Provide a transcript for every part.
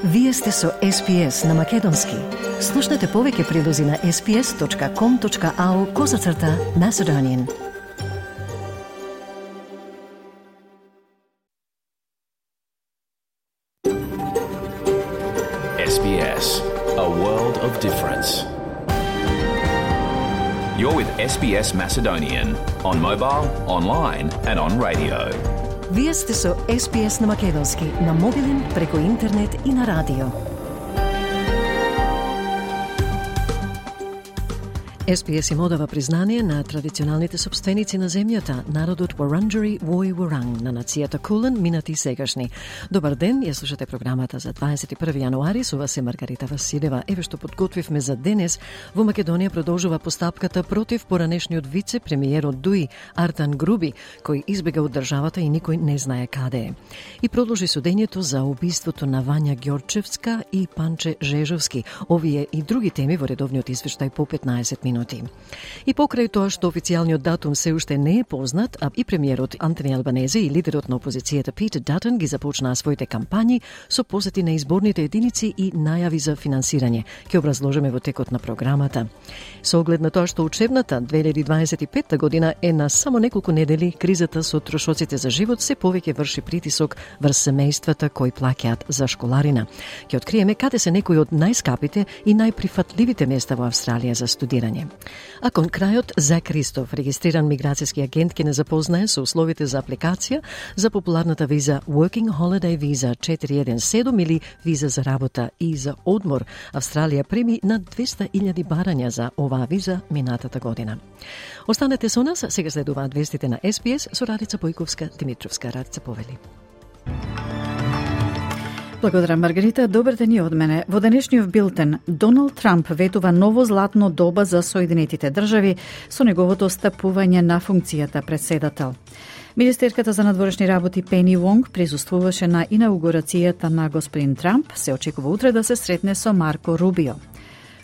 Вие сте со SPS на Македонски. Слушнете повеќе прилози на sps.com.au/Macedonian. SBS, a world of difference. You're with SBS Macedonian on mobile, online and on radio. Вие сте со SPS на Македонски, на мобилен, преку интернет и на радио. SPS им одава признание на традиционалните собственици на земјата, народот Wurundjeri Woi Wurrung на нацијата Кулен, минати и сегашни. Добар ден, ја слушате програмата за 21 јануари, со вас е Маргарита Василева. Еве што подготвивме за денес. Во Македонија продолжува постапката против поранешниот вице-премиер од ДУИ, Артан Груби, кој избега од државата и никој не знае каде е. И продолжи судењето за убиството на Вања Ѓорчевска и Панче Жежовски. Овие и други теми во редовниот извештај по 15 минути. И покрај тоа што официјалниот датум се уште не е познат, а и премиерот Антони Албанезе и лидерот на опозицијата Питер Датон ги започнаа своите кампањи со посети на изборните единици и најави за финансирање. Ќе образложиме во текот на програмата. Со оглед на тоа што учебната 2025 година е на само неколку недели, кризата со трошоците за живот се повеќе врши притисок врз семејствата кои плаќаат за школарина. Ќе откриеме каде се некои од најскапите и најприфатливите места во Австралија за студирање. А кон крајот, Зак Кристоф, регистриран миграцијски агент, ќе не запознае со условите за апликација за популарната виза Working Holiday Visa 417 или виза за работа и за одмор. Австралија прими над 200.000 барања за оваа виза минатата година. Останете со нас, сега следуваат вестите на SPS со Радица Бојковска-Димитровска. Радица повели. Благодарам, Маргарита. Добар ден и од мене. Во денешниот билтен, Доналд Трамп ветува ново златно доба за Соединетите држави со неговото стапување на функцијата председател. Министерката за надворешни работи Пени Вонг присуствуваше на инаугурацијата на господин Трамп. Се очекува утре да се сретне со Марко Рубио.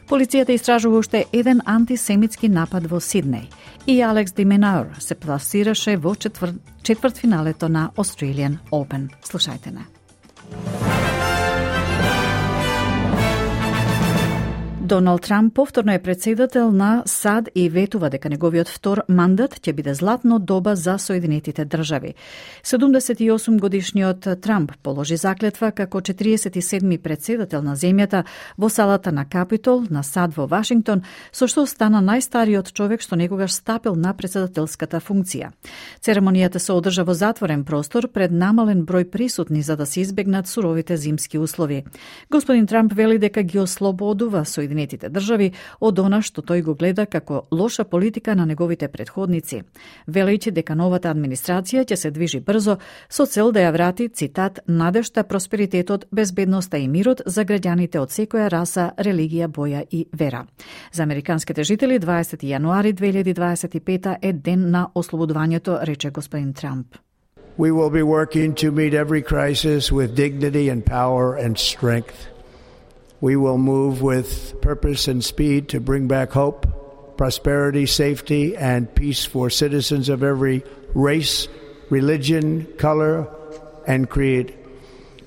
Полицијата истражува уште еден антисемитски напад во Сиднеј. И Алекс Ди Минаур се пласираше во четвртфиналето на Australian Open. Слушајте не. Доналд Трамп повторно е председател на САД и ветува дека неговиот втор мандат ќе биде златно доба за Соединетите држави. 78 годишниот Трамп положи заклетва како 47-ми председател на земјата во салата на Капитол на САД во Вашингтон, со што стана најстариот човек што некогаш стапил на председателската функција. Церемонијата се одржа во затворен простор пред намален број присутни за да се избегнат суровите зимски услови. Господин Трамп вели дека ги ослободува Соединетите држави од она што тој го гледа како лоша политика на неговите претходници, велејќи дека новата администрација ќе се движи брзо со цел да ја врати, цитат, надежта, просперитетот, безбедноста и мирот за граѓаните од секоја раса, религија, боја и вера. За американските жители 20 јануари 2025 е ден на ослободувањето, рече господин Трамп. We will be working to meet every crisis with dignity and power and strength. We will move with purpose and speed to bring back hope, prosperity, safety, and peace for citizens of every race, religion, color, and creed.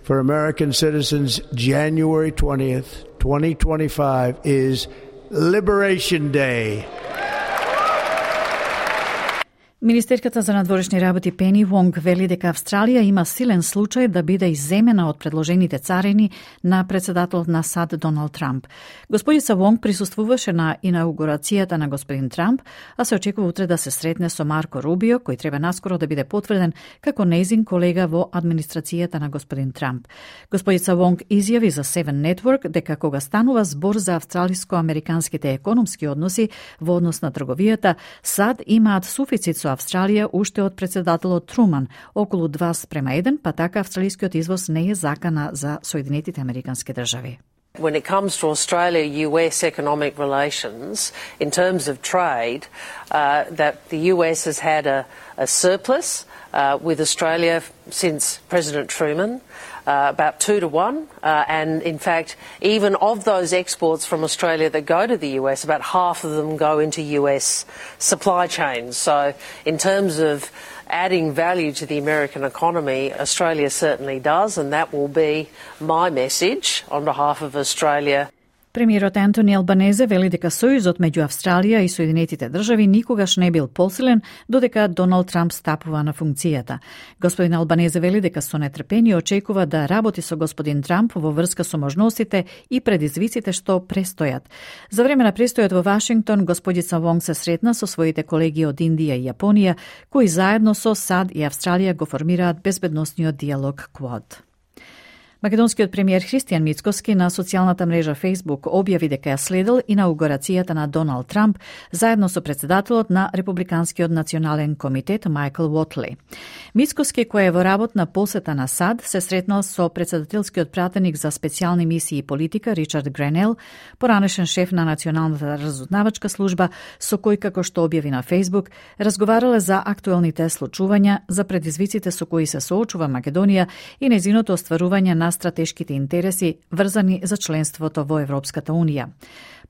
For American citizens, January 20th, 2025 is Liberation Day. Министерката за надворешни работи Пени Вонг вели дека Австралија има силен случај да биде изземена од предложените царини на председателот на САД Доналд Трамп. Господица Вонг присуствуваше на инаугурацијата на господин Трамп, а се очекува утре да се сретне со Марко Рубио, кој треба наскоро да биде потврден како нејзин колега во администрацијата на господин Трамп. Господица Вонг изјави за Seven Network дека кога станува збор за австралиско-американските економски односи во однос на трговијата, САД имаат суфицит со Австралија уште од председателот Труман, околу 2:1, па така австралискиот извоз не е закана за Соединетите американски држави. When it comes to Australia-US economic relations, in terms of trade, that the US has had a surplus with Australia since President Truman, about 2-1, and in fact, even of those exports from Australia that go to the US, about half of them go into US supply chains. So in terms of adding value to the American economy, Australia certainly does, and that will be my message on behalf of Australia. Премиерот Антони Албанезе вели дека сојузот меѓу Австралија и Соединетите држави никогаш не бил посилен додека Доналд Трамп стапува на функцијата. Господин Албанезе вели дека со нетрпение очекува да работи со господин Трамп во врска со можностите и предизвиците што престојат. За време на престојот во Вашингтон, господица Вонг се сретна со своите колеги од Индија и Јапонија, кои заедно со САД и Австралија го формираат безбедносниот диалог Quad. Македонскиот премиер Христијан Мицкоски на социјалната мрежа Facebook објави дека ја следел инаугурацијата на Доналд Трамп заедно со председателот на Републиканскиот национален комитет Мајкл Уотли. Мицкоски, кој е во работна посета на САД, се сретнал со председателскиот пратеник за специјални мисии и политика Ричард Гренел, поранешен шеф на Националната разузнавачка служба, со кој, како што објави на Facebook, разговарале за актуелните случувања, за предизвиците со кои се соочува Македонија и нејзиното остварување на стратешките интереси врзани за членството во Европската Унија.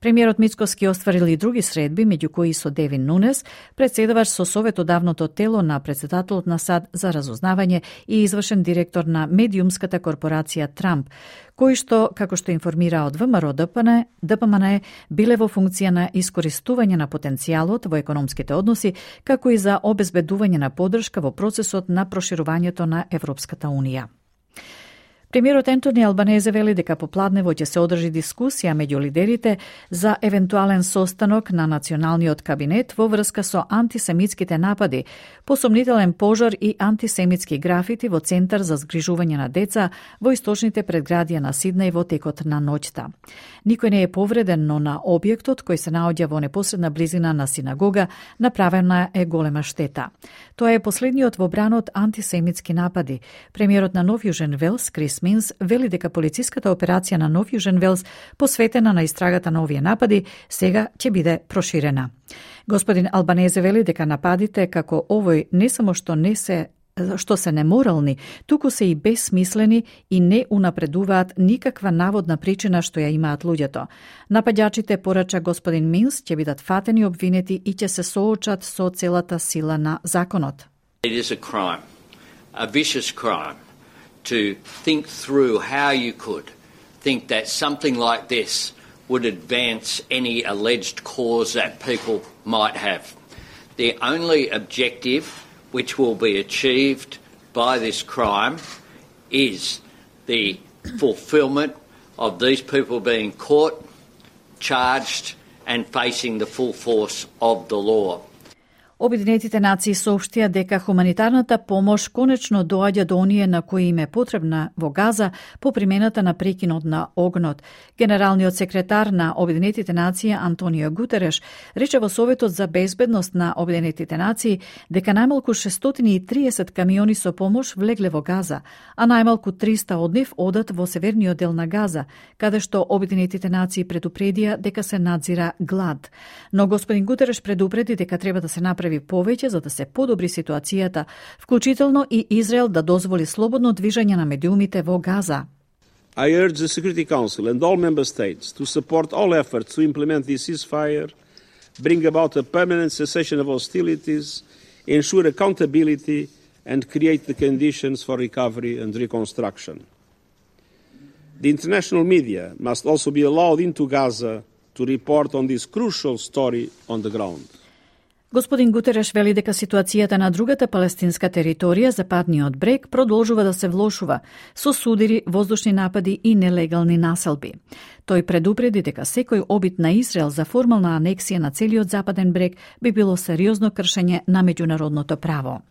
Премиерот Мицкоски остварил и други средби, меѓу кои со Девин Нунес, председавач со советодавното тело на председателот на САД за разузнавање и извршен директор на медиумската корпорација Трамп, кои што, како што информира од ВМРО ДПМН, биле во функција на искористување на потенцијалот во економските односи, како и за обезбедување на поддршка во процесот на проширувањето на Европската Унија. Премиерот Антони Албанезе вели дека попладнево ќе се одржи дискусија меѓу лидерите за евентуален состанок на националниот кабинет во врска со антисемитските напади, посомнителен пожар и антисемитски графити во Центар за згрижување на деца во источните предградија на Сиднеј во текот на ноќта. Никој не е повреден, но на објектот кој се наоѓа во непосредна близина на синагога направена е голема штета. Тоа е последниот во бранот антисемитски напади. Премиерот на Нов Јужен Велс, Крис Минс, вели дека полициската операција на Нов Јужен Велс, посветена на истрагата на овие напади, сега ќе биде проширена. Господин Албанезе вели дека нападите како овој не само што се неморални, туку се и бесмислени и не унапредуваат никаква наводна причина што ја имаат луѓето. Нападјачите, порача господин Минс, ќе бидат фатени, обвинети и ќе се соочат со целата сила на законот. It is a crime, a vicious crime, to think through how you could think that something like this would advance any alleged cause that people might have. The only objective which will be achieved by this crime is the fulfilment of these people being caught, charged and facing the full force of the law. Обединетите нации соопштија дека хуманитарната помош конечно доаѓа до оние на кои им е потребна во Газа по примената на прекинот на огнот. Генералниот секретар на Обединетите нации Антонио Гутереш рече во Советот за безбедност на Обединетите нации дека најмалку 630 камиони со помош влегле во Газа, а најмалку 300 од нив одат во северниот дел на Газа, каде што Обединетите нации предупредија дека се надзира глад. Но господин Гутереш предупреди дека треба да се направи повеќе за да се подобри ситуацијата, вклучително и Израел да дозволи слободно движење на медиумите во Газа. I urge the Security Council and all member states to support all efforts to implement the ceasefire, bring about a permanent cessation of hostilities, ensure accountability and create the conditions for recovery and reconstruction. The international media must also be allowed into Gaza to report on this crucial story on the ground. Господин Гутереш вели дека ситуацијата на другата палестинска територија, Западниот брег, продолжува да се влошува со судири, воздушни напади и нелегални населби. Тој предупреди дека секој обид на Израел за формална анексија на целиот Западен брег би било сериозно кршење на меѓународното право.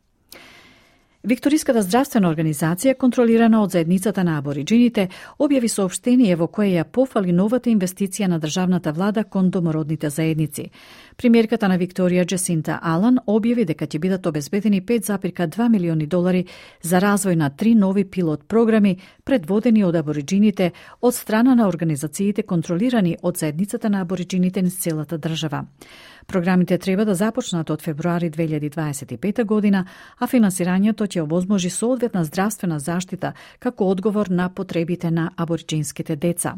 Викториската здравствена организација, контролирана од заедницата на абориджините, објави соопштение во кое ја пофали новата инвестиција на државната влада кон домородните заедници. Премиерката на Викторија Джесинта Алан објави дека ќе бидат обезбедени $5,2 милиони за развој на 3 нови пилот програми предводени од абориджините од страна на организациите контролирани од заедницата на абориджините низ целата држава. Програмите треба да започнат од февруари 2025 година, а финансирањето ќе овозможи соодветна здравствена заштита како одговор на потребите на абориџинските деца.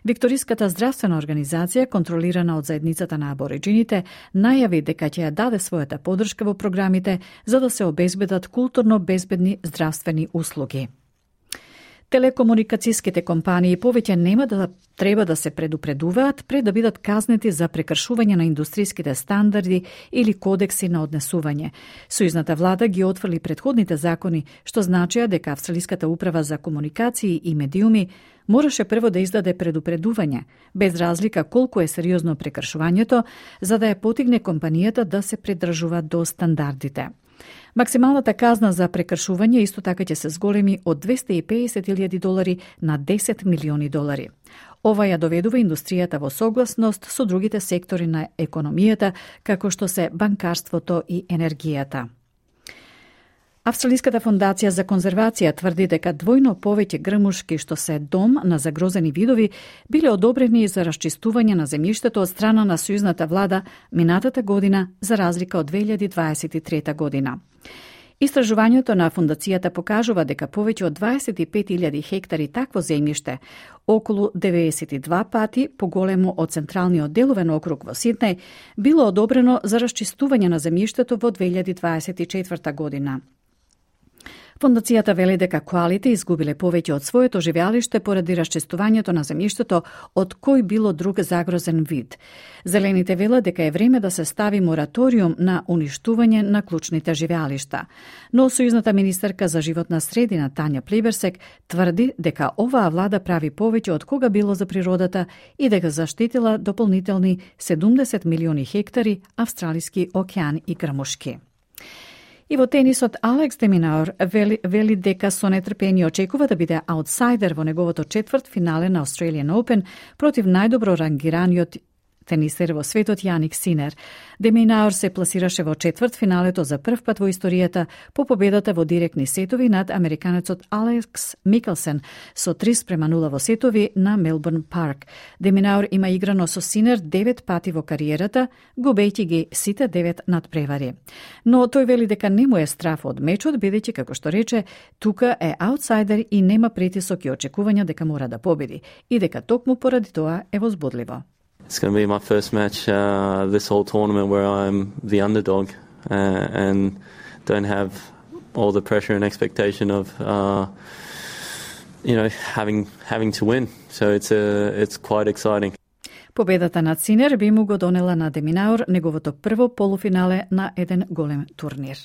Викториската здравствена организација, контролирана од заедницата на абориџините, најави дека ќе ја даде својата поддршка во програмите за да се обезбедат културно безбедни здравствени услуги. Телекомуникацијските компании повеќе нема да треба да се предупредуваат пред да бидат казнети за прекршување на индустријските стандарди или кодекси на однесување. Сојузната влада ги отфрли претходните закони, што значија дека Австралиската управа за комуникации и медиуми мораше прво да издаде предупредување, без разлика колку е сериозно прекршувањето, за да ја потигне компанијата да се придржува до стандардите. Максималната казна за прекршување исто така ќе се зголеми од $250,000 на $10 милиони. Ова ја доведува индустријата во согласност со другите сектори на економијата, како што се банкарството и енергијата. Австралиската фондација за конзервација тврди дека двојно повеќе грмушки што се дом на загрозени видови биле одобрени за расчистување на земјиштето од страна на сојузната влада минатата година за разлика од 2023 година. Истражувањето на фондацијата покажува дека повеќе од 25,000 хектари такво земјиште, околу 92 пати поголемо од централниот деловен округ во Сиднеј, било одобрено за расчистување на земјиштето во 2024 година. Фондацијата вели дека коалите изгубиле повеќе од своето живеалиште поради расчистувањето на земјиштето од кој било друг загрозен вид. Зелените велат дека е време да се стави мораториум на уништување на клучните живеалишта. Но сојузната министерка за животна средина Тања Плиберсек тврди дека оваа влада прави повеќе од кога било за природата и дека заштитила дополнителни 70 милиони хектари австралиски океан и грмушки. И во тенисот Алекс де Минаур вели дека со нетрпение очекува да биде аутсайдер во неговото четврт финале на Australian Open против најдобро рангираниот тенисер во светот Јаник Синер. Де Минаур се пласираше во четврт финалето за прв пат во историјата по победата во директни сетови над американецот Алекс Микелсен со 3:0 во сетови на Мелбурн Парк. Де Минаур има играно со Синер 9 пати во кариерата, губејќи ги сите 9 надпревари. Но тој вели дека не му е страф од мечот, бидејќи, како што рече, тука е аутсайдер и нема притисок и очекувања дека мора да победи и дека токму поради тоа е возбудливо. It's going to be my first match this whole tournament where I'm the underdog and don't have all the pressure and expectation of having to win. So it's quite exciting. Победата над Синер би му го донела на Де Минаур неговото прво полуфинале на еден голем турнир.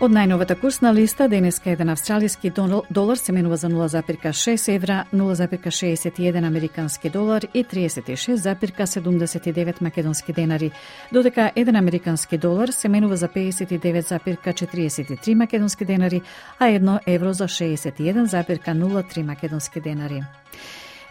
Од најновата курсна листа, денеска еден австралиски долар се менува за 0,6 евра, 0,61 американски долар и 36,79 македонски денари, додека еден американски долар се менува за 59,43 македонски денари, а 1 евро за 61,03 македонски денари.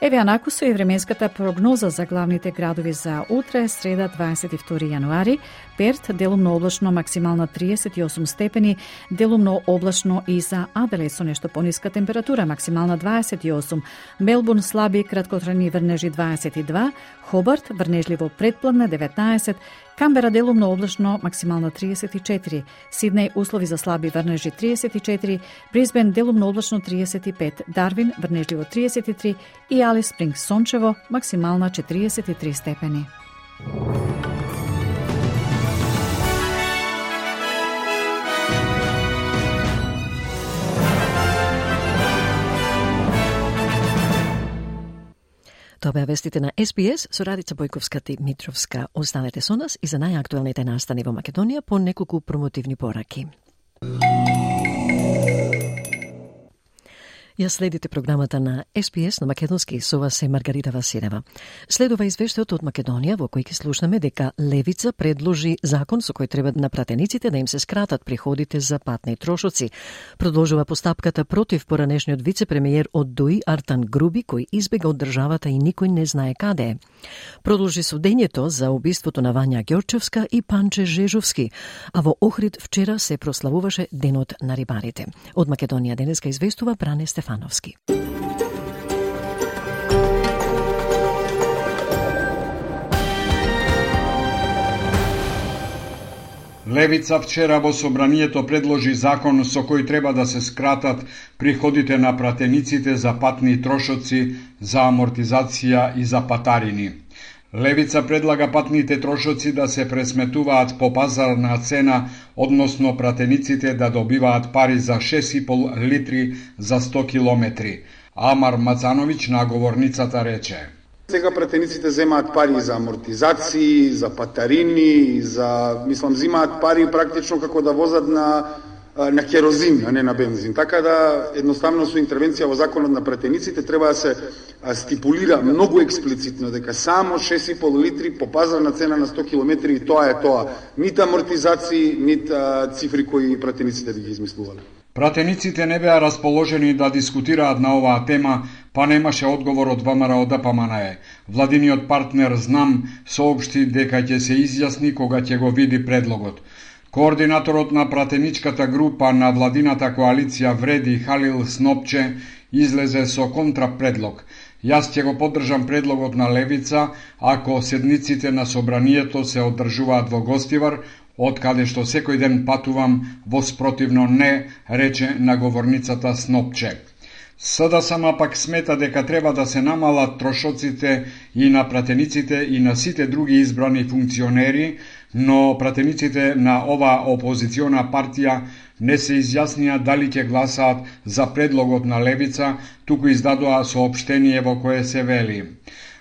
Еве анаку со и временската прогноза за главните градови за утре, среда 22 јануари. Перт делумно облачно, максимална 38 степени, делумно облачно и за Аделаид со нешто пониска температура, максимална 28, Мелбурн слаби краткотрajни врнежи 22, Хобарт врнежливо претпладне 19, Камбера делумно облачно, максимална 34, Сиднеј услови за слаби врнежи 34, Брисбен делумно облачно 35, Дарвин врнежливо 33 и Алис Спрингс сончево, максимална 43 степени. Тоа беа вестите на SBS со Радица Бојковска и Митровска. Останете со нас и за најактуелните настани во Македонија по неколку промотивни пораки. Ја следите програмата на SBS на македонски, со вас е Маргарита Василева. Следува извештајот од Македонија во кој ќе слушнеме дека Левица предложи закон со кој треба на пратениците да им се скратат приходите за патни трошоци. Продолжува постапката против поранешниот вице-премиер од ДУИ Артан Груби, кој избега од државата и никој не знае каде е. Продолжи судењето за убиството на Вања Ѓорчевска и Панче Жежовски, а во Охрид вчера се прославуваше Денот на рибарите. Од Македонија денеска известува Бране Стефановски. Левица вчера во собранието предложи закон со кој треба да се скратат приходите на пратениците за патни трошоци, за амортизација и за патарини. Левица предлага патните трошоци да се пресметуваат по пазарна цена, односно пратениците да добиваат пари за 6,5 литри за 100 километри. Амар Мацановиќ на говорницата рече: Сега пратениците земаат пари за амортизации, за патарини, земаат пари практично како да возат на керозин, а не на бензин. Така да, едноставно со интервенција во законот на пратениците треба да се стипулира многу експлицитно дека само 6,5 литри по пазарна цена на 100 километри и тоа е тоа. Нит амортизации, нит цифри кои пратениците би ги измислувале. Пратениците не беа расположени да дискутираат на оваа тема, па немаше одговор од ВМРО-ДПМНЕ. Владиниот партнер ЗНАМ соопшти дека ќе се изјасни кога ќе го види предлогот. Координаторот на пратеничката група на владината коалиција Вреди Халил Снопче излезе со контрапредлог. Јас ќе го поддржам предлогот на Левица ако седниците на собранието се одржуваат во Гостивар, од каде што секој ден патувам, во спротивно не, рече на говорницата Снопче. СДСМ пак смета дека треба да се намалат трошоците и на пратениците и на сите други избрани функционери, но пратениците на оваа опозициона партија не се изјаснија дали ќе гласаат за предлогот на Левица, туку издадоа соопштение во кое се вели: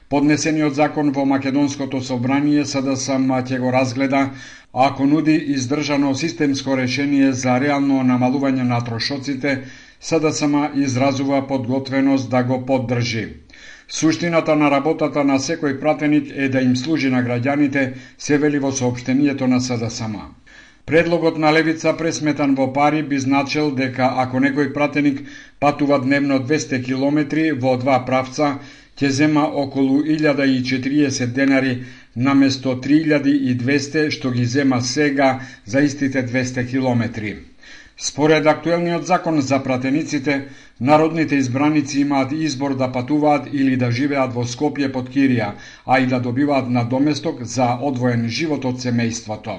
Поднесениот закон во Македонското собрание СДСМ ќе го разгледа ако нуди издржано системско решение за реално намалување на трошоците. СДСМ изразува подготвеност да го поддржи. Суштината на работата на секој пратеник е да им служи на граѓаните, се вели во соопштението на СДСМ. Предлогот на Левица пресметан во пари би значил дека ако некој пратеник патува дневно 200 километри во два правца, ќе зема околу 1040 денари наместо 3200 што ги зема сега за истите 200 километри. Според актуелниот закон за пратениците, народните избраници имаат избор да патуваат или да живеат во Скопје под кирија, а и да добиваат надоместок за одвоен живот од семејството.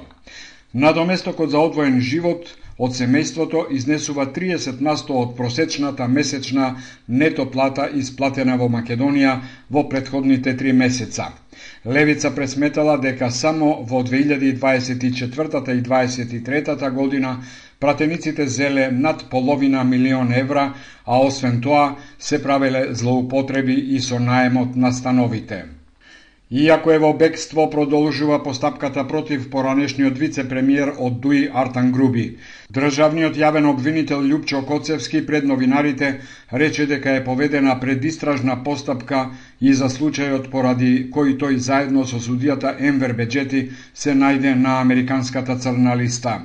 Надоместокот за одвоен живот од семејството изнесува 30% од просечната месечна нето плата исплатена во Македонија во претходните 3 месеца. Левица пресметала дека само во 2024 и 2023 година пратениците зеле над половина милион евра, а освен тоа се правеле злоупотреби и со наемот на становите. Иако е во бегство, продолжува постапката против поранешниот вице-премиер од ДУИ Артан Груби. Државниот јавен обвинител Љупчо Коцевски пред новинарите рече дека е поведена предистражна постапка и за случајот поради кој тој заедно со судијата Енвер Беџети се најде на американската црна листа.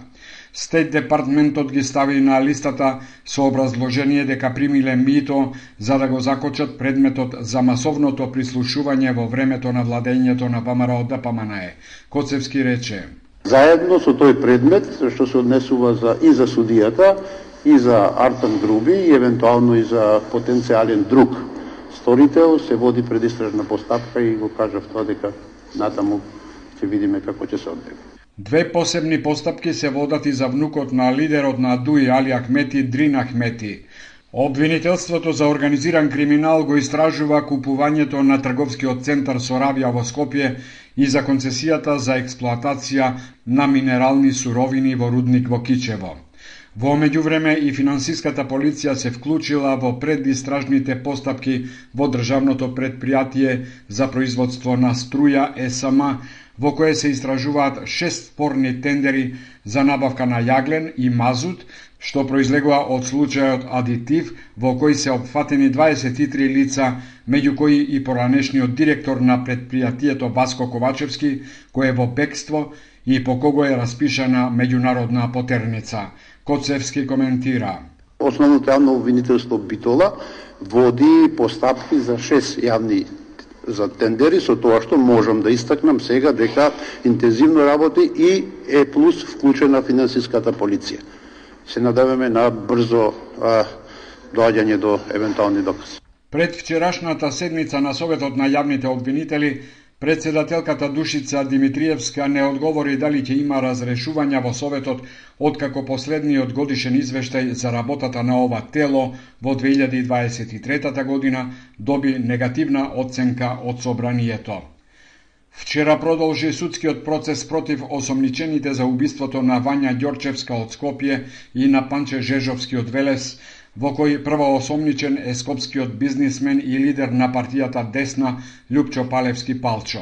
Стейт департментот ги стави на листата со образложение дека примиле мито за да го закочат предметот за масовното прислушување во времето на владењето на ВМРО-ДПМНЕ. Коцевски рече: Заедно со тој предмет, што се однесува и за судијата, и за Артан Груби, и евентуално и за потенцијален друг сторител, се води предистражна постапка и го кажав тоа дека натаму ќе видиме како ќе се одвие. Две посебни постапки се водат и за внукот на лидерот на ДУИ Али Ахмети, Дрин Ахмети. Обвинителството за организиран криминал го истражува купувањето на трговскиот центар Соравија во Скопје и за концесијата за експлоатација на минерални суровини во рудник во Кичево. Во меѓувреме и финансиската полиција се вклучила во предистражните постапки во државното претпријатие за производство на струја ЕСМ, во кое се истражуваат 6 спорни тендери за набавка на јаглен и мазут, што произлегува од случајот Адитив, во кој се опфатени 23 лица, меѓу кои и поранешниот директор на претпријатието Васко Ковачевски, кој е во бегство и по кого е распишана меѓународна потерница. Коцевски коментира: Основното јавно обвинителство Битола води постапки за 6 јавни за тендери, со тоа што можам да истакнам сега дека интензивно работи и е плюс вклучена финансиската полиција. Се надеваме на брзо доаѓање до евентуални докази. Пред вчерашната седница на Советот на јавните обвинители, Председателката Душица Димитриевска не одговори дали ќе има разрешувања во Советот откако последниот годишен извештај за работата на ова тело во 2023 година доби негативна оценка од Собранието. Вчера продолжи судскиот процес против осомничените за убиството на Вања Ѓорчевска од Скопје и на Панче Жежовски од Велес, во кој првоосомничен е скопскиот бизнисмен и лидер на партијата Десна Љупчо Палевски Палчо.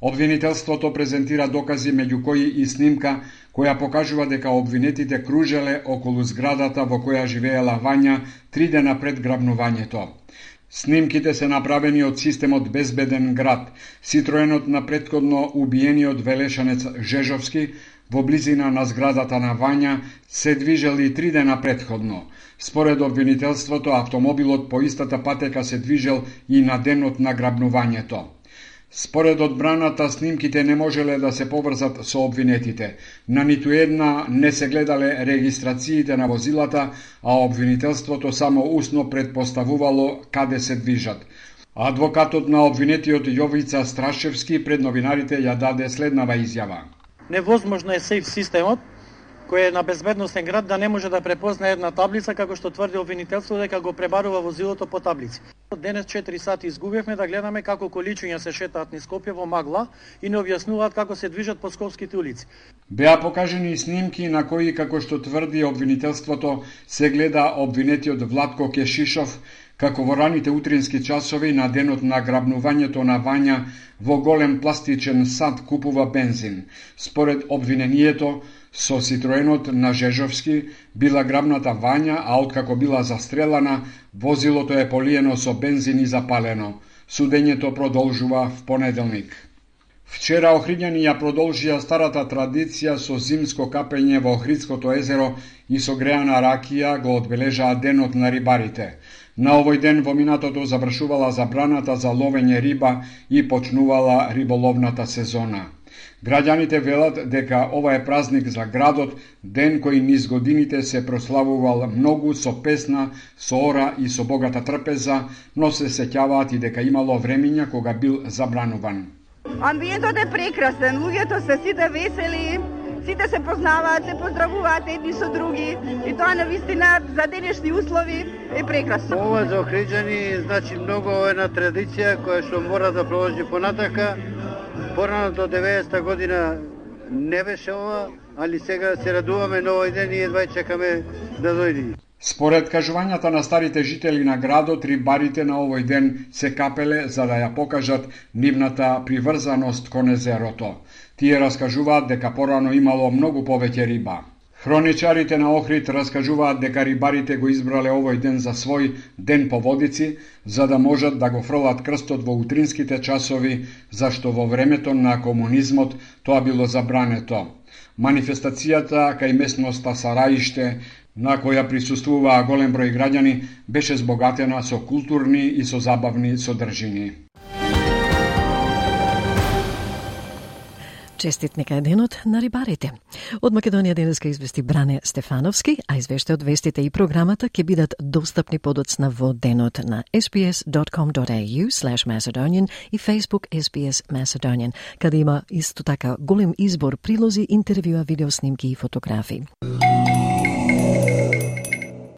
Обвинителството презентира докази меѓу кои и снимка која покажува дека обвинетите кружеле околу зградата во која живеела Вања 3 дена пред грабнувањето. Снимките се направени од системот Безбеден град, Ситроенот на претходно убиениот велешанец Жежовски, во близина на зградата на Вања се движели 3 дена претходно. Според обвинителството, автомобилот по истата патека се движел и на денот на грабнувањето. Според одбраната, снимките не можеле да се поврзат со обвинетите. На ниту една не се гледале регистрациите на возилата, а обвинителството само усно предпоставувало каде се движат. Адвокатот на обвинетиот Јовица Страшевски пред новинарите ја даде следнава изјава. Невозможно е сейф системот, кој е на безбедносен град, да не може да препознае една таблица, како што тврди обвинителство дека го пребарува возилото по таблици. Денес 4 сати изгубивме да гледаме како количуња се шетаат низ Скопје во магла и не објаснуваат како се движат по скопските улици. Беа покажени снимки на кои, како што тврди обвинителството, се гледа обвинетиот Владко Кешишов, како во раните утрински часови на денот на грабнувањето на Вања во голем пластичен сад купува бензин. Според обвинението, со Ситроенот на Жежовски била грабната Вања, а откако била застрелана, возилото е полиено со бензин и запалено. Судењето продолжува в понеделник. Вчера Охриѓани ја продолжија старата традиција со зимско капење во Охридското езеро и со греана ракија го одбележаа денот на рибарите. На овој ден во минатото завршувала забраната за ловење риба и почнувала риболовната сезона. Граѓаните велат дека ова е празник за градот, ден кој низ годините се прославувал многу со песна, со ора и со богата трпеза, но се сеќаваат и дека имало времиња кога бил забрануван. Амбиентот е прекрасен, луѓето се сите весели, сите се познаваат, се поздравуваат едни со други и тоа навистина за денешни услови е прекрасно. Ова за Охриѓани значи многу една традиција која што мора да продолжи понатака. Порано до 90-та година не беше ова, али сега се радуваме на овој ден и едва чекаме да дојде. Според кажувањата на старите жители на градот, рибарите на овој ден се капеле за да ја покажат нивната приврзаност кон езерото. Тие раскажуваат дека порано имало многу повеќе риба. Хроничарите на Охрид раскажуваат дека рибарите го избрале овој ден за свој ден по водици, за да можат да го фрлат крстот во утринските часови, зашто во времето на комунизмот тоа било забрането. Манифестацијата кај местноста Сараиште, на која присуствуваа голем број граѓани, беше збогатена со културни и со забавни содржини. Честит нека е денот на рибарите. Од Македонија денеска извести Бране Стефановски, а извештајот, вестите и програмата ќе бидат достапни подоцна во денот на sbs.com.au/Macedonian и Facebook SBS Macedonian, каде има исто така голем избор прилози, интервјуа, видеоснимки и фотографии.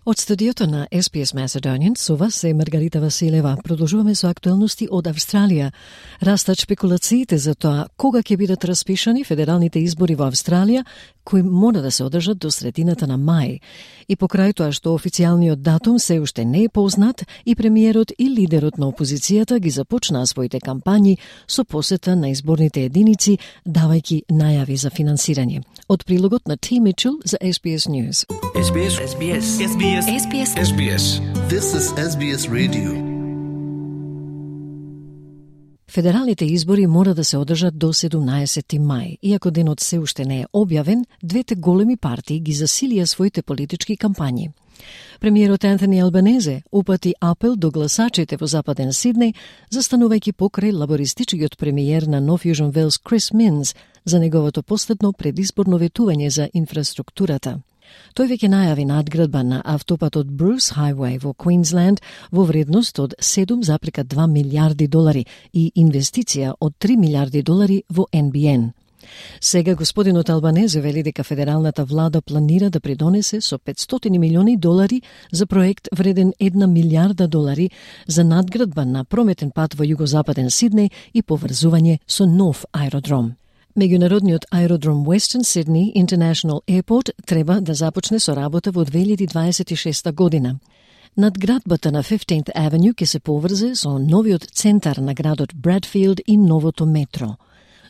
Од студиото на SBS Macedonian со вас е Маргарита Василева. Продолжуваме со актуелности од Австралија. Растат шпекулациите за тоа кога ќе бидат распишани федералните избори во Австралија, кои мора да се одржат до средината на мај. И покрај тоа што официјалниот датум се уште не е познат, и премиерот и лидерот на опозицијата ги започнаа своите кампањи со посета на изборните единици, давајќи најави за финансирање. Од прилогот на T. Mitchell за SBS News. SBS. SBS. SBS. SBS. SBS. This is SBS Radio. Федералните избори мора да се одржат до 17 мај. Иако денот се уште не е објавен, двете големи партии ги засилија своите политички кампањи. Премиерот Антони Албанезе упати апел до гласачите во Западен Сиднеј, застанувајќи покрај лабористичкиот премиер на Нов Јужен Велс Крис Минс за неговото последно предизборно ветување за инфраструктурата. Тој веќе најави надградба на автопатот Bruce Highway во Квинсленд во вредност од $7,2 милиарди и инвестиција од $3 милиарди во NBN. Сега господинот Албанезе вели дека федералната влада планира да придонесе со $500 милиони за проект вреден $1 милиарда за надградба на прометен пат во југозападен Сиднеј и поврзување со нов аеродром. Меѓународниот аеродром Western Sydney International Airport треба да започне со работа во 2026 година. Надградбата на 15th Avenue ќе се поврзе со новиот центар на градот Брадфилд и новото метро.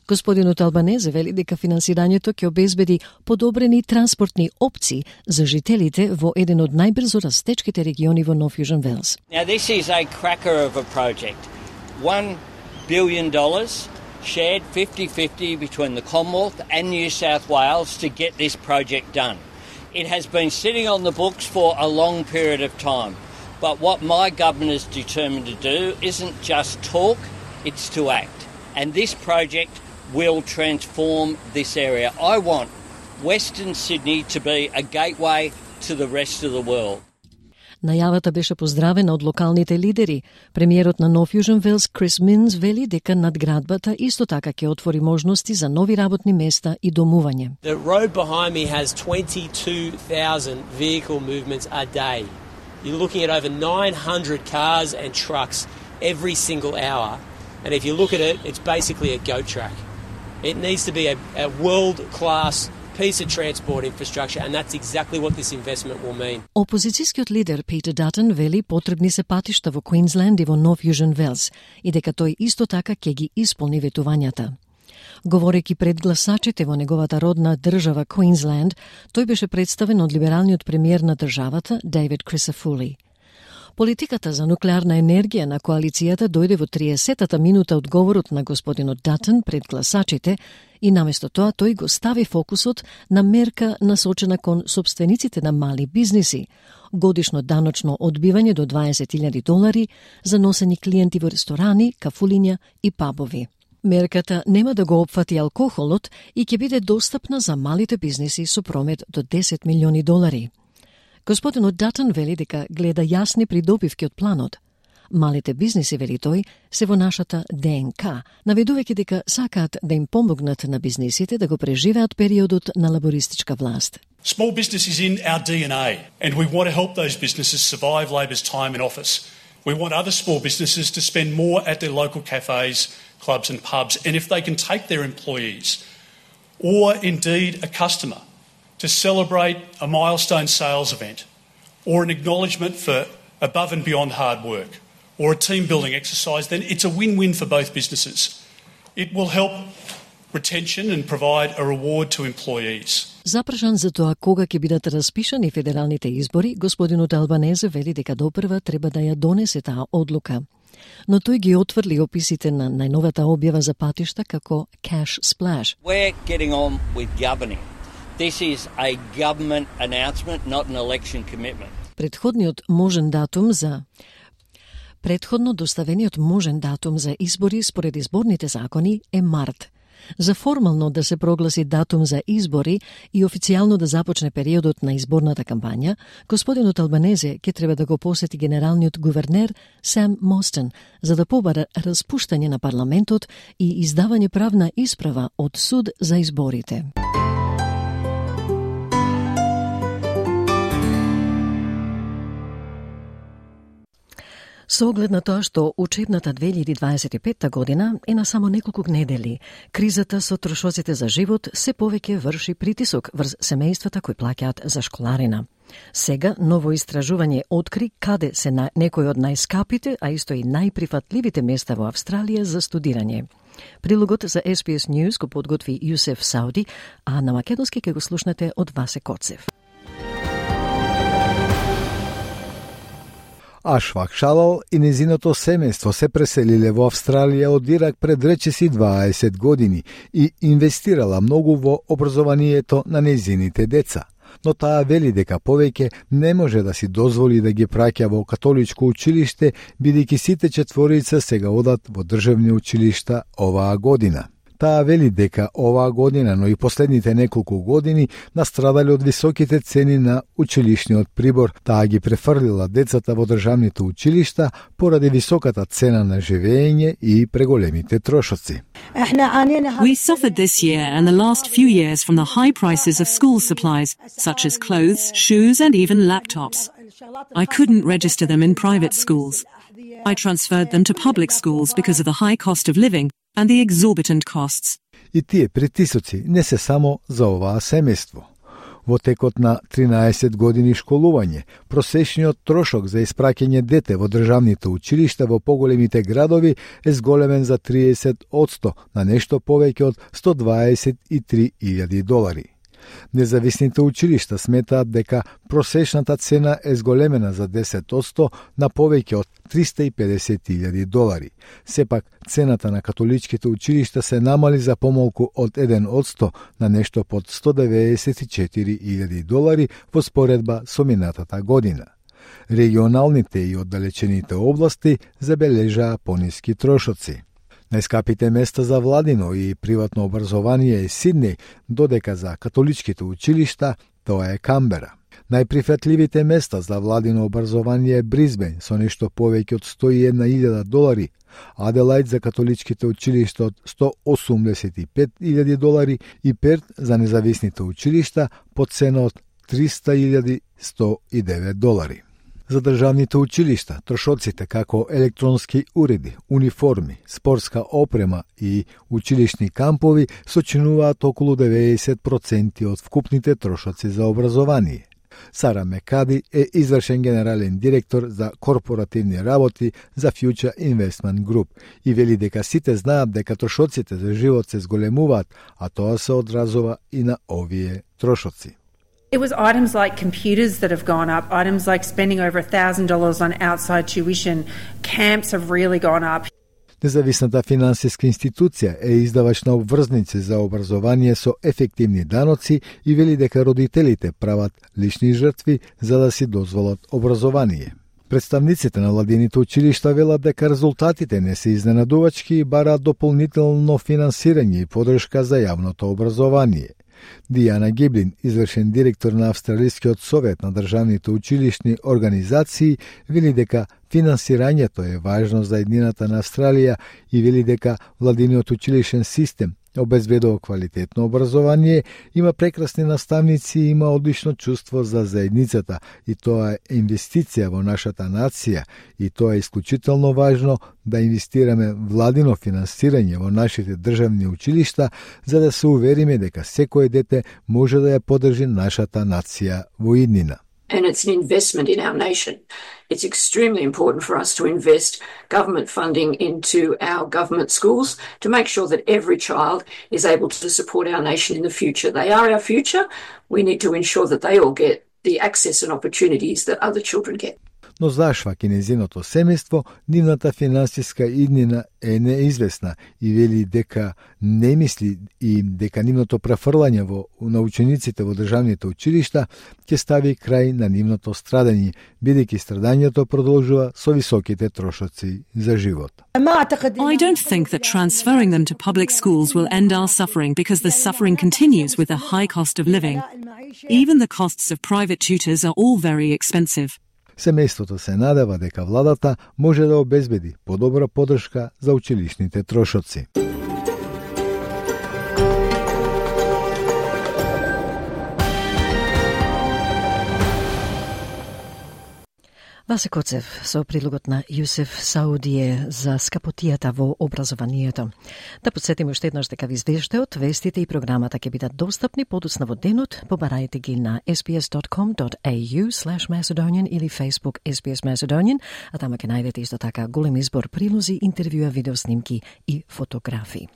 Господинот Албанезе вели дека финансирањето ќе обезбеди подобрени транспортни опции за жителите во еден од најбрзо растечките региони во Нов Јужен Велс. Now this is a cracker of a project. $1 billion shared 50-50 between the Commonwealth and New South Wales to get this project done. It has been sitting on the books for a long period of time. But what my government is determined to do isn't just talk, it's to act. And this project will transform this area. I want Western Sydney to be a gateway to the rest of the world. Најавата беше поздравена од локалните лидери. Премиерот на Нов Јужен Велс Крис Минс вели дека надградбата исто така ќе отвори можности за нови работни места и домување. The road behind me has 22,000 vehicle movements a day. You're looking at over 900 cars and trucks every single hour. And if you look at it, it's basically a goat track. It needs to be a world-class piece of transport infrastructure, and that's exactly what this investment will mean. Опозицијскиот лидер Питер Датон вели потребни се патишта во Квинсленд и во Нов Јужен Велс и дека тој исто така ќе ги исполни ветувањата. Говорејќи пред гласачите во неговата родна држава Квинсленд, тој беше представен од либералниот премиер на државата Дейвид Крисафули. Политиката за нуклеарна енергија на коалицијата дојде во 30-та минута од говорот на господинот Датон пред гласачите и наместо тоа тој го стави фокусот на мерка насочена кон сопствениците на мали бизниси, годишно даночно одбивање до $20,000 за носени клиенти во ресторани, кафулиња и пабови. Мерката нема да го опфати алкохолот и ќе биде достапна за малите бизниси со промет до $10 милиони. Господинот Датон вели дека гледа јасни придобивки од планот. Малите бизниси, вели тој, се во нашата ДНК, наведувајќи дека сакаат да им помогнат на бизнисите да го преживеат периодот на лабористичка власт. Small business is in our DNA, and we want to help those businesses survive Labor's time in office. We want other small businesses to spend more at their local cafes, clubs and pubs, and if they can take their employees, or indeed a customer, to celebrate a milestone sales event, or an acknowledgement for above and beyond hard work, or a team-building exercise, then it's a win-win for both businesses. It will help retention and provide a reward to employees. Запрашан за тоа кога ќе бидат распишани федералните избори, господинот Албанезе вели дека допрва треба да ја донесе таа одлука. Но тој ги отврли описите на најновата објава за патишта како cash splash. We're getting on with governing. This is a government announcement, not an election commitment. Предходно доставениот можен датум за избори според изборните закони е март. За формално да се прогласи датум за избори и официјално да започне периодот на изборната кампања, господинот Албанезе ќе треба да го посети генералниот гувернер Сам Мостен за да побара распуштање на парламентот и издавање правна исправа од суд за изборите. Со оглед на тоа што учебната 2025 година е на само неколку недели, кризата со трошоците за живот се повеќе врши притисок врз семејствата кои плаќаат за школарина. Сега ново истражување откри каде се на некои од најскапите, а исто и најприфатливите места во Австралија за студирање. Прилогот за SBS News го подготви Јусеф Сауди, а на македонски ќе го слушнете од Васе Коцев. Ашфак Шалал и незиното семејство се преселиле во Австралија од Ирак пред речиси 20 години и инвестирала многу во образованието на незините деца. Но таа вели дека повеќе не може да си дозволи да ги праќа во католичко училиште, бидејќи сите четворица сега одат во државни училишта оваа година. Таа вели дека оваа година, но и последните неколку години настрадале од високите цени на училишниот прибор. Таа ги префрлила децата во државните училишта поради високата цена на живење и преголемите трошоци. We suffered this year and the last few years from the high prices of school supplies, such as clothes, shoes and even laptops. I couldn't register them in private schools. I transferred them to public schools because of the high cost of living and the exorbitant costs. И тие притисоци не се само за оваа семејство. Во текот на 13 години школување, просечниот трошок за испраќање дете во државните училишта во поголемите градови е зголемен за 30% на нешто повеќе од $123,000. Независните училишта сметаат дека просечната цена е зголемена за 10% на повеќе од $350,000. Сепак, цената на католичките училишта се намали за помалку од 1% на нешто под $194,000 во споредба со минатата година. Регионалните и оддалечените области забележаа пониски трошоци. Најскапите места за владино и приватно образование е Сиднеј, додека за католичките училишта тоа е Камбера. Најприфатливите места за владино образование е Бризбен со нешто повеќе од $101,000, Аделајд за католичките училишта од $185,000 и Перт за независните училишта по цена од $300,109. За државните училишта, трошоците како електронски уреди, униформи, спортска опрема и училишни кампови сочинуваат околу 90% од вкупните трошоци за образование. Сара Мекади е извршен генерален директор за корпоративни работи за Future Investment Group и вели дека сите знаат дека трошоците за живот се зголемуваат, а тоа се одразува и на овие трошоци. It was items like computers that have gone up, items like spending over $1,000 on outside tuition. Camps have really gone up. Независната финансиска институција е издавач на обврзници за образование со ефективни даноци и вели дека родителите прават лични жртви за да си дозволат образование. Представниците на владините училишта велат дека резултатите не се изненадувачки и бараат дополнително финансирање и подршка за јавното образование. Дијана Гиблин, извршен директор на Австралискиот совет на државните училишни организации, вели дека финансирањето е важно за еднината на Австралија и вели дека владиниот училишен систем обезбедува квалитетно образование, има прекрасни наставници и има одлично чувство за заедницата и тоа е инвестиција во нашата нација и тоа е исклучително важно да инвестираме владино финансирање во нашите државни училишта за да се увериме дека секое дете може да ја поддржи нашата нација во иднина. And it's an investment in our nation. It's extremely important for us to invest government funding into our government schools to make sure that every child is able to support our nation in the future. They are our future. We need to ensure that they all get the access and opportunities that other children get. Но зашва кинезиното семејство, нивната финансиска иднина е неизвестна и вели дека не мисли и дека нивното префрлање на учениците во државните училишта ќе стави крај на нивното страдање, бидејќи страдањето продолжува со високите трошоци за живот. I don't think that transferring them to public schools will end our suffering because the suffering continues with the high cost of living. Even the costs of private tutors are all very expensive. Семејството се надева дека владата може да обезбеди подобра поддршка за училишните трошоци. Васе Коцев со прилогот на Јусеф Саудие за скапотијата во образованието. Да подсетиме уште еднаш дека ви извештајот, вестите и програмата ќе бидат достапни подоцна во денот. Побарајте ги на sbs.com.au/Macedonian или Facebook SBS Macedonian, а тама ќе најдете исто така голем избор прилози, интервјуа, видеоснимки и фотографии.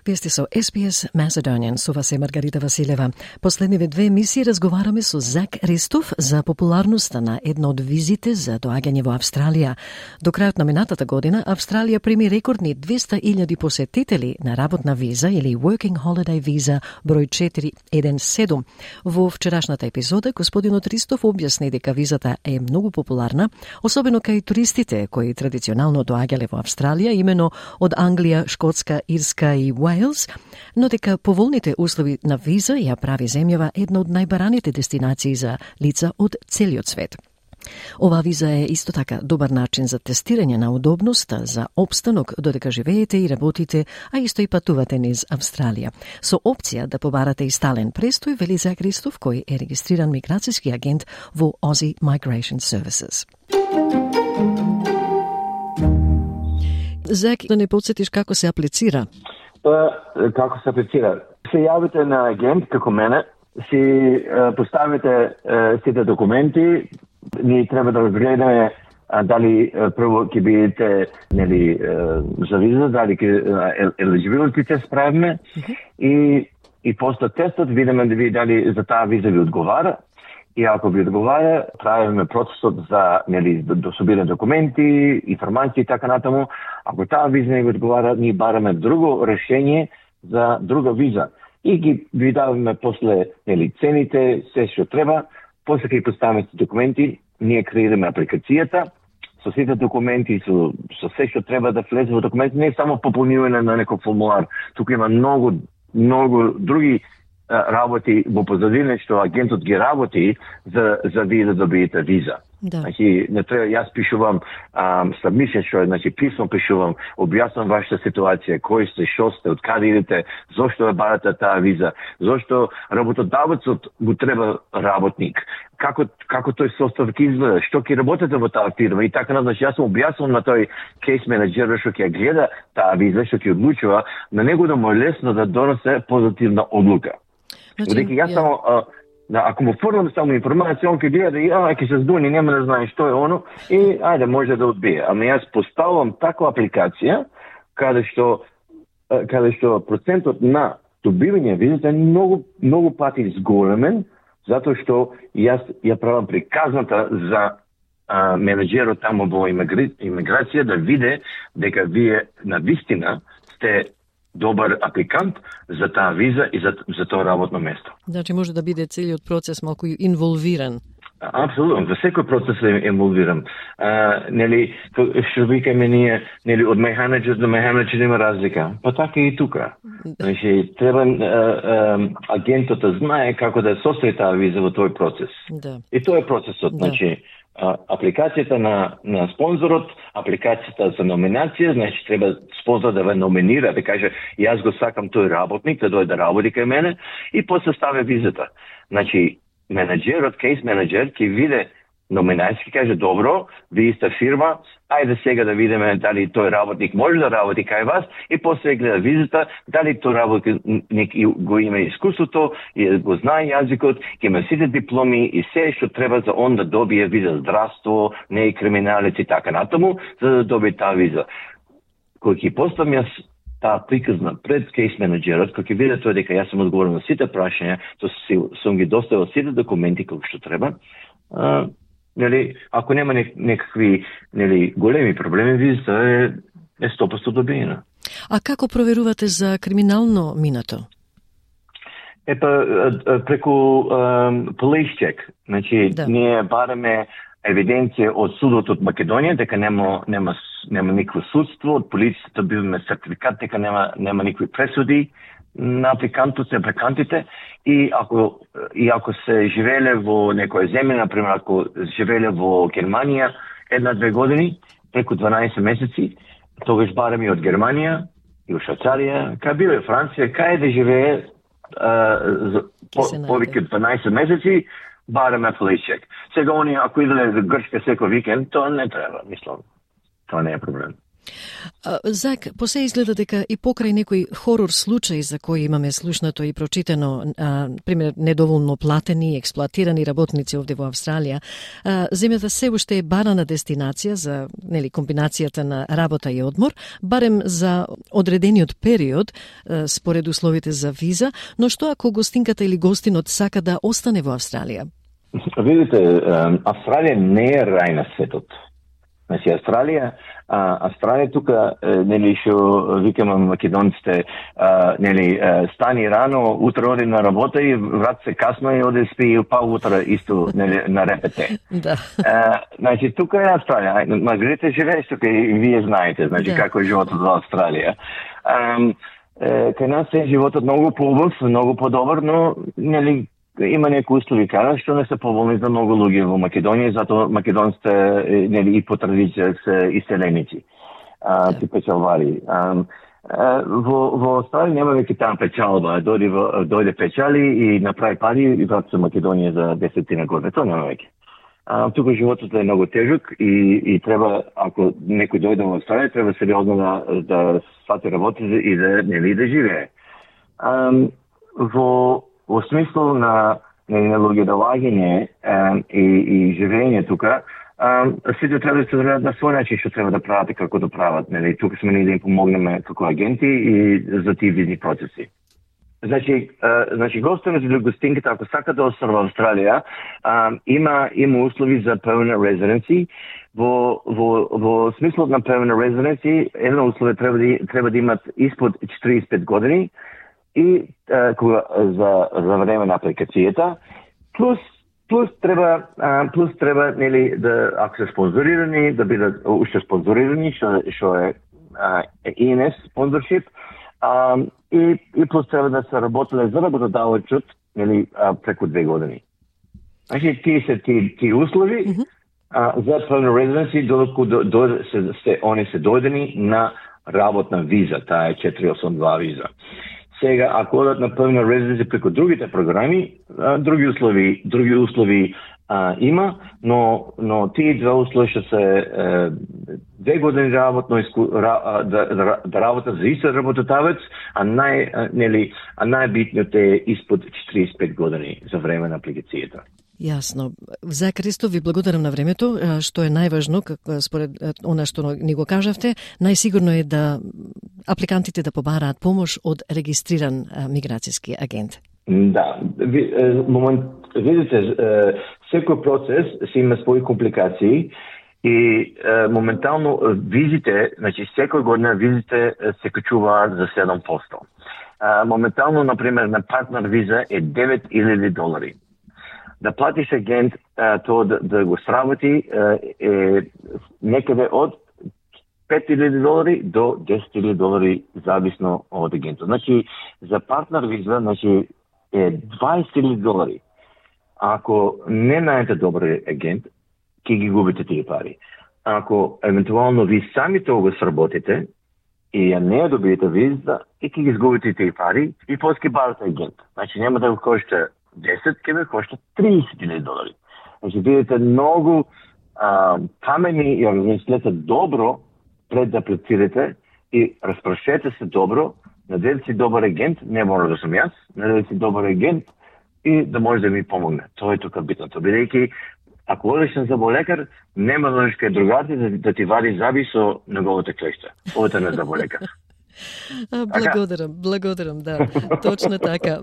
Вие сте со SBS Macedonian, со вас е Маргарита Василева. Последниве 2 емисии разговараме со Зак Ристов за популарноста на една од визите за доаѓање во Австралија. До крајот на минатата година, Австралија прими рекордни 200.000 посетители на работна виза или Working Holiday Visa број 417. Во вчерашната епизода, господинот Ристов објасни дека визата е многу популарна, особено кај туристите кои традиционално доаѓале во Австралија, имено од Англија, Шкотска, Ирска и Уейлс, но дека поволните услови на виза ја прави земјава една од најбараните дестинации за лица од целиот свет. Ова виза е исто така добар начин за тестирање на удобноста за опстанок додека живеете и работите, а исто и патувате низ Австралија. Со опција да побарате и стален престој, вели Зак Ристов, кој е регистриран миграцијски агент во Aussie Migration Services. Зак, да не подсетиш како се аплицира? Како се аплицира? Се јавите на агент како мене, си поставите сите документи, ние треба да разгледаме дали прво ќе бидете за виза, дали елиджибилити тест правиме и после тестот видиме дали за таа виза ви одговара. И ако ви одговара, правиме процесот за да собираме документи, информации и така натаму. Ако таа виза не ви одговара, ние бараме друго решение за друга виза. И ги ви даваме после цените, се што треба. После ќе поставиме документи, ние креираме апликацијата со сите документи, со се што треба да влезе во документи, не само пополнување на некој формулар. Тука има многу други работи во позадина што агентот ги работи за вие да добиете виза. Да. Значи, не треба, јас пишувам submission, писмо пишувам, објаснам вашата ситуација, кој сте, што сте, од каде идете, зошто ја барате таа виза, зошто работодавецот го треба работник, како тој состав ќе изгледа, што ќе работите во таа фирма и така натаму. Јас сум објаснам на тој кейс менеджер што ќе гледа таа виза, што ќе одлучува, на него да му е лесно да донесе позитивна одлука. Додека јас само ако му фрлам само информација, он ќе гледа и ќе се здуни, нема да знае што е оно и ајде може да одбие. Ама јас поставувам таква апликација каде што процентот на добивање визата е многу пати зголемен, затоа што јас ја правам приказната за менеджерот таму во имиграција да види дека вие навистина сте добар апликант за таа виза и за тоа работно место. Значи може да биде целиот процес малку инволвиран. Апсолутно, за секој процес е инволвиран. Што викаме ние, од менеджер до менеджер има разлика. Па така и тука. Значи, треба агентот да знае како да состои таа виза во тој процес. Да. И тоа е процесот. Да. Значи, апликацијата на спонзорот, апликацијата за номинација, значи треба спонзор да ве номинира, да каже јас го сакам тој работник да дојде да работи кај мене и после стави визата. Значи менеджерот, кейс менеджер ќе види номинација, каже добро, вие сте фирма, ајде сега да видиме дали тој работник може да работи кај вас и после гледа визата, дали тој работник го има искуството и го знае јазикот, ќе има сите дипломи и се што треба за он да добие виза, здравство, не е криминалец и така натаму, за да добие таа виза. Кој ќе поставам јас таа приказна пред кейс менеджерот, кој ќе види тоа дека јас сум одговорен на сите прашања, сум ги доставил сите документи како што треба, ако нема некакви големи проблеми, визата е 100% добиена. А како проверувате за криминално минато? Преку police check. Значи, ние бараме евиденција од судот од Македонија дека нема никакво судство, од полицијата биваме сертификат дека нема никакви пресуди на апликантите и ако се живееле во некоја земја, например ако живееле во Германија 1-2 години, преку 12 месеци, тогаш бараме и од Германија и од Швајцарија, кај биле Франција, кај да живее повеќе од 12 месеци, бараме полиција. Сега они ако иделе за Грчка секој викенд, тоа не треба, мислам. Тоа не е проблем. Зак, посе изгледа дека и покрај некои хорор случаи за кои имаме слушнато и прочитано, пример недоволно платени, експлоатирани работници овде во Австралија, земјата се уште е барана дестинација за комбинацијата на работа и одмор, барем за одредениот период според условите за виза, но што ако гостинката или гостинот сака да остане во Австралија? Видите, Австралија не е рај на светот. Значи, Австралија тука, што викаме македонците, стани рано, утре оди на работа и врат се касно и оди спи па утре исто на РПТ. Да. Значи, тука е Австралија. Маргарита живееш тука и вие знаете, значи, како е животот во Австралија. Кај нас е животот многу поубав, многу подобар, но, има некои услови кара што не се поволни за многу луѓе во Македонија, затоа македонците и по традиција се иселеници, ти печалвари. Во Австралија нема веќе таа печалба, дојде печали и направи пари и врат се Македонија за 10 години, тоа нема веќе. Тука животот е многу тежок и треба, ако некој дојде во Австралија, треба сериозно да свати работи и да живее. Во смислу на луѓе да лагање и живење тука, сите треба да се одредат на свој начин што треба да прават и како да прават. Тука сме ние да им помогнеме како агенти и за тие визни процеси. Значи гостинот или гостинката, ако сака да остане во Австралија, има услови за permanent residency. Во смислот на permanent residency, едно условие треба да имат испод 45 години и за време на апликацијата, плюс треба да, ако се спонзорирани, да бидат уште спонзорирани, што е ENS спонзоршип, и плюс треба да се работеле за работодавачот преку 2 години. Значи, тие се тие услови за permanent residency, додеку они се дојдени на работна виза, таа е 482 виза. Сега, ако одат на permanent residency преку другите програми, други услови има, но тие две услови што се 2 години работно да работат за исто работодавец, а најбитниот е испод 45 години за време на апликацијата. Јасно. За Кристо, ви благодарам на времето, што е најважно, според она што ни го кажавте, најсигурно е да апликантите да побараат помош од регистриран миграцијски агент. Да, видите, секој процес се има своји компликации и моментално визите, значи секој година визите се качуваат за 7%. Моментално, например, на партнер виза е $9,000. Да платиш агент тоа да го сработи е некаде од $5,000 до $10,000 зависно од агентот. Значи, за партнер виза, е $20,000. Ако не најдете добар агент, ќе ги губите тие пари. Ако евентуално ви сами тоа го сработите и ја не ја добиете виза, и ќе ги изгубите тие пари и после ќе барате агент. Значи, нема да го кошта 10, ќе ви кошта $30,000. Значи, бидете многу памени и размислете добро пред да аплицирате и распрашете се добро, надевате си добар агент, не мора да сум јас, надевате си добар агент и да може да ми помогне. Тоа е тука битното. Бидејќи, ако одиш на заболекар, нема да одиш кај другарите да ти вади заби со неговата клешта. Одете на заболекар. Благодарам, да. Точно така.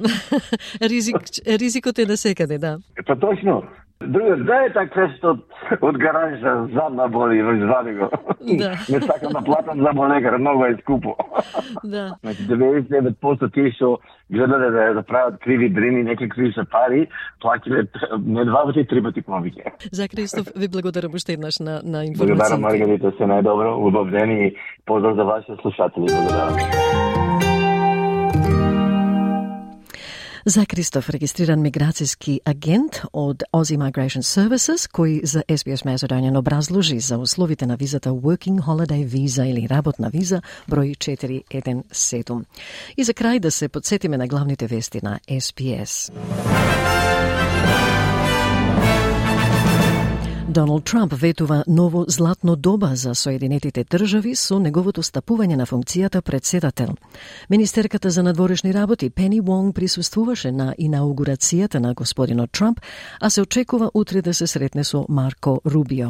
Ризикот е насекаде, да. Па точно. Другар, дај так клешта од гаража, задна боли, извади го. Да. Не сакам да платам заболекар, многу е скупо. Да. Значи, 99% тие што гледаде да прават криви дрини, некакви се пари, плакиле не 2 пати, 3 пати повеќе. За Кристоф, ви благодарам уште еднаш на информацијата. Благодарам, Маргарита, се најдобро, убав ден и поздрав за вашите слушатели. Благодарам. За Кристоф, регистриран миграцијски агент од Aussie Migration Services, кој за SBS Macedonian образложи за условите на визата Working Holiday Visa или работна виза број 417. И за крај да се подсетиме на главните вести на SBS. Доналд Трамп ветува ново златно доба за Соединетите држави со неговото стапување на функцијата председател. Министерката за надворешни работи Пени Вонг присуствуваше на инаугурацијата на господинот Трамп, а се очекува утре да се сретне со Марко Рубио.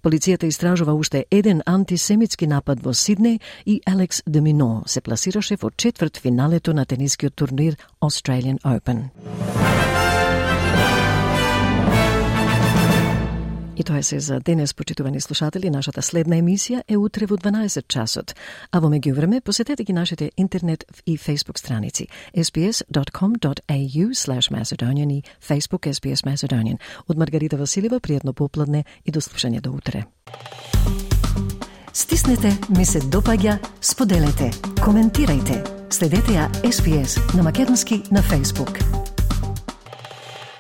Полицијата истражува уште еден антисемитски напад во Сиднеј и Алекс де Мино се пласираше во четвртфиналето на тенискиот турнир Australian Open. И тоа е се за денес, почитувани слушатели. Нашата следна емисија е утре во 12 часот. А во меѓувреме посетете ги нашите интернет и Facebook страници sbs.com.au/Macedonian и Facebook SBS Macedonian. Од Маргарита Василева, пријатно попладне и до слушање до утре. Стиснете, ми се допаѓа, споделете, коментирајте. Следете ја SBS на македонски на Facebook.